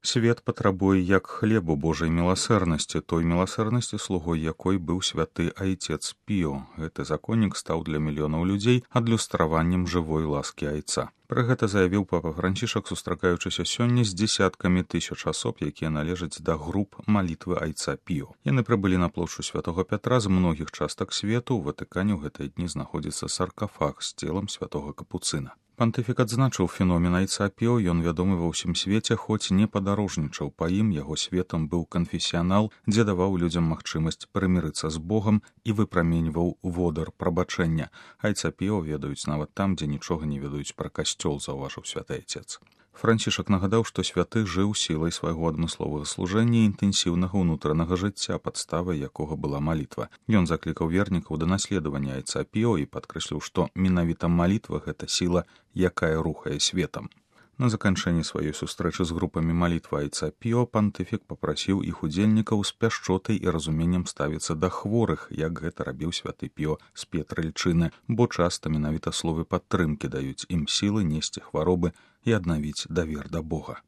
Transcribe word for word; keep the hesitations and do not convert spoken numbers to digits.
Свет патрабуе як хлебу Божай міласэрнасці, той міласэрнасці, слугой якой быў святы айцец Піо. Гэты законнік стаў для мільёнаў людзей адлюстраваннем жывой ласкі айца. Пра гэта заявіў папа Францішак, сустракаючыся сёння з дзесяткамі тысяч асоб, якія належаць да груп малітвы айца Піо. Яны прыбылі на плошчу святога Пятра з многіх частак свету. У Ватыкане ў гэтыя дні знаходзіцца саркафаг з целам святога Капуцына. Пантыфік адзначыў феномен айца Піо, ён вядомы ва ўсім свеце, хоць не падарожнічаў па ім, яго светам быў канфесіянал, дзе даваў людзям магчымасць прымірыцца з Богам і выпраменьваў водар прабачэння. Айца Піо ведаюць нават там, дзе нічога не ведаюць пра касцёл, заўважыў святы айцец. Францішак нагадаў, што святы жыў сілай свайго адмысловага служэння і інтэнсіўнага ўнутранага жыцця, падставай якога была малітва. Ён заклікаў вернікаў да наследавання айца Піо і падкрэсліў, што менавіта малітва — гэта сіла, якая рухае светам. На заканчэнні сваёй сустрэчы з групамі малітвы айца Піо пантыфік папрасіў іх удзельнікаў з пяшчотай і разуменнем ставіцца да хворых, як гэта рабіў святы Піо з П'етрэльчыны, бо часта менавіта словы падтрымкі даюць ім сілы несці хваробы і аднавіць давер да Бога.